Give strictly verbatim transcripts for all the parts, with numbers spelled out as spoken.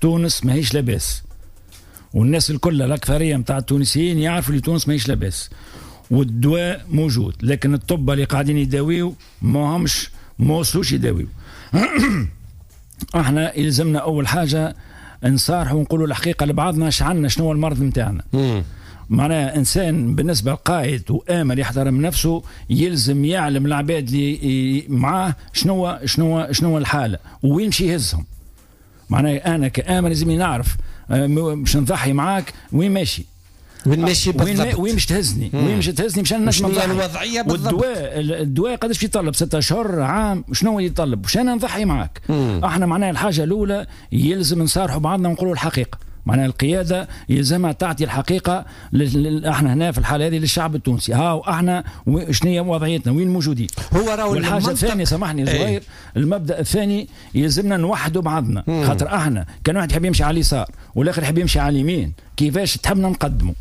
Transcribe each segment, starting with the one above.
تونس ماهيش لاباس، والناس الكل، الاكثرية نتاع التونسيين، يعرفوا اللي تونس ماهيش لاباس، والدواء موجود، لكن الطب اللي قاعدين يداويو ما همش، ما وصلوش يداويو. احنا يلزمنا اول حاجة نصارحوا ونقولوا الحقيقة لبعضنا، اش عندنا، شنو هو المرض نتاعنا. معناها انسان بالنسبة لقائد وامر يحترم نفسه، يلزم يعلم العباد اللي معاه شنو شنو شنو الحالة وين يمشي يهزهم. معناها انا كآمر لازم نعرف آه، باش نضحي معاك وين ماشي. وين ماشي بالضبط؟ وين وين باش تهزني؟ وين باش تهزني باش نجم نضحي؟ الوضعية بالضبط. والدواء، الدواء قداش يطلب؟ ستة اشهر، عام، شنو يطلب باش انا نضحي معاك؟ مم. احنا معناها الحاجة الاولى يلزم نصارحوا بعضنا ونقولوا الحقيقه. معناها القيادة يلزمها تعطي الحقيقة ل... احنا هنا في الحالة هذه للشعب التونسي، ها احنا شنو هي وضعيتنا، وين موجودين. هو راهو والحاجة الثانيه، سامحني زهير، ايه؟ المبدا الثاني يلزمنا نوحدوا بعضنا. مم. خاطر احنا كان واحد يحب يمشي على اليسار والاخر يحب يمشي على اليمين، كيفاش تحبنا نقدموا؟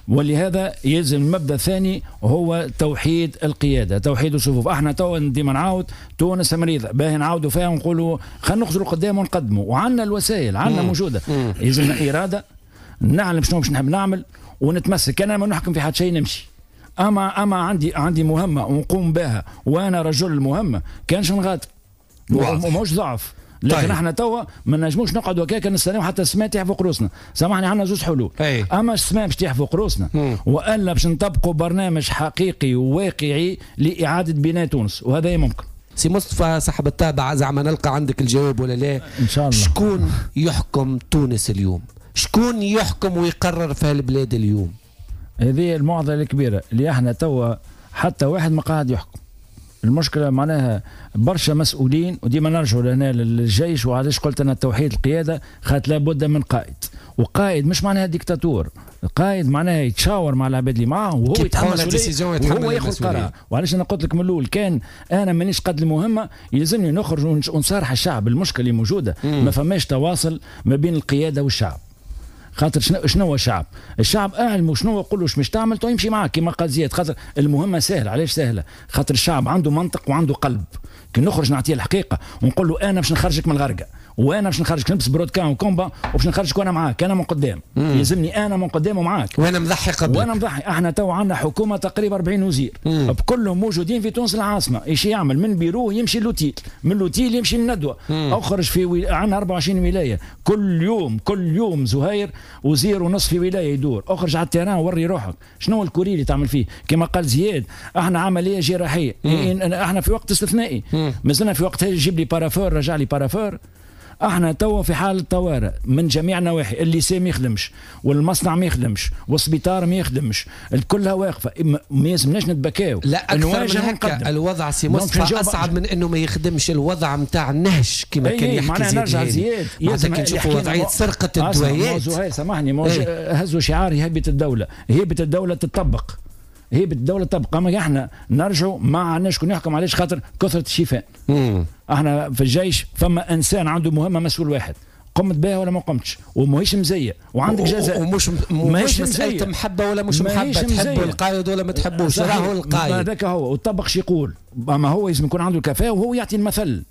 ولهذا يلزم المبدا الثاني هو توحيد القياده، توحيد الصفوف. احنا تو ديما نعاود، تونس مريضه، باهي نعاودوا فيها ونقولوا خلينا نخزروا قدام ونقدموا، وعندنا الوسائل، عندنا موجوده. يلزمنا اراده، نعلم شنو باش نحب نعمل ونتمسك. انا ما نحكم في حد شيء، نمشي، اما اما عندي عندي مهمة ونقوم بها، وانا رجل المهمه، كانش نغادر، ماهوش ضعف. لكن طيب. احنا توا ما نجموش نقعدوا هكاك نستناو حتى السماء تيح فوق روسنا. سامحني، عندنا زوج حلول: أي. اما السماء باش تيح فوق روسنا، والا باش نطبقوا برنامج حقيقي وواقعي لاعادة بناء تونس، وهذا ممكن. سي مصطفى صاحب الطابع، زعما نلقى عندك الجواب ولا لا؟ ان شاء الله. شكون يحكم تونس اليوم؟ شكون يحكم ويقرر في البلاد اليوم؟ هذه المعضلة الكبيره، اللي احنا توا حتى واحد ما قاعد يحكم. المشكلة معناها برشا مسؤولين، وديما نرجعوا لهنا للجيش. وعلاش قلت انا توحيد القياده؟ خاطر لابد من قائد، وقائد مش معناها ديكتاتور، قائد معناها يتشاور مع العباد اللي معاه وهو يتحمل المسؤولية وهو ياخذ قرار. وعلاش انا قلت لك من الاول، كان انا مانيش قد المهمة يلزمني نخرج ونصارح الشعب. المشكلة اللي موجودة ما فماش تواصل ما بين القيادة والشعب. خاطر شنو شنو هو الشعب؟ الشعب اعلمه شنو، قول له مش تعمل تو يمشي معك، كما قال زياد. خاطر المهمة سهله. علاش سهله؟ خاطر الشعب عنده منطق وعنده قلب. كي نخرج نعطيه الحقيقة ونقول له انا باش نخرجك من الغرقه، وانا باش نخرجك، نلبس brodequins و combat وباش نخرجك وانا معاك، انا من قدام، يلزمني انا من قدام ومعاك. وانا مضحي قبلك. وانا مضحي. احنا تو عندنا حكومة تقريبا أربعين وزير، بكلهم موجودين في تونس العاصمه. ايش يعمل؟ من بيروه يمشي l'hôtel، من l'hôtel يمشي للندوه. اخرج في وي... عندنا أربعة وعشرين ولايه، كل يوم، كل يوم زهير وزير ونص في ولاية يدور. اخرج على ال terrain وري روحك، شنو هو ال courrier اللي تعمل فيه؟ كما قال زياد، احنا عملية جراحيه، احنا في وقت استثنائي، مازلنا في وقت جيب لي parapheur، رجع لي parapheur. احنا توا في حالة طوارئ من جميع النواحي. ال lycée ما يخدمش، والمصنع ما يخدمش، والسبيطار ما يخدمش، الكلها واقفه. ما يلزمناش نتبكاو. لا، اكثر من هكا، الوضع سي مصطفى اصعب من انه ما يخدمش. الوضع نتاع النهش كما كان يحكي. معناها نرجع زياد. معناتها كي نشوفوا وضعية سرقه الدوايات. زهير سامحني، ايه؟ هزوا شعار هيبة الدوله، هيبة الدولة تطبق، هيبة الدولة تبقى. اما احنا نرجعوا ما عندناش شكون يحكم. علاش؟ خاطر كثرة الشيفان. احنا في الجيش فما انسان عنده مهمه، مسؤول واحد، قمت بها ولا ما قمتش، وماهيش مزية وعندك جزاء. ومش مش مسألة محبة ولا مش محبة، تحب القائد ولا ما تحبوش، راهو القائد. هذاك هو، وطبق شو يقول. اما هو لازم يكون عنده الكفاءة وهو يعطي المثل.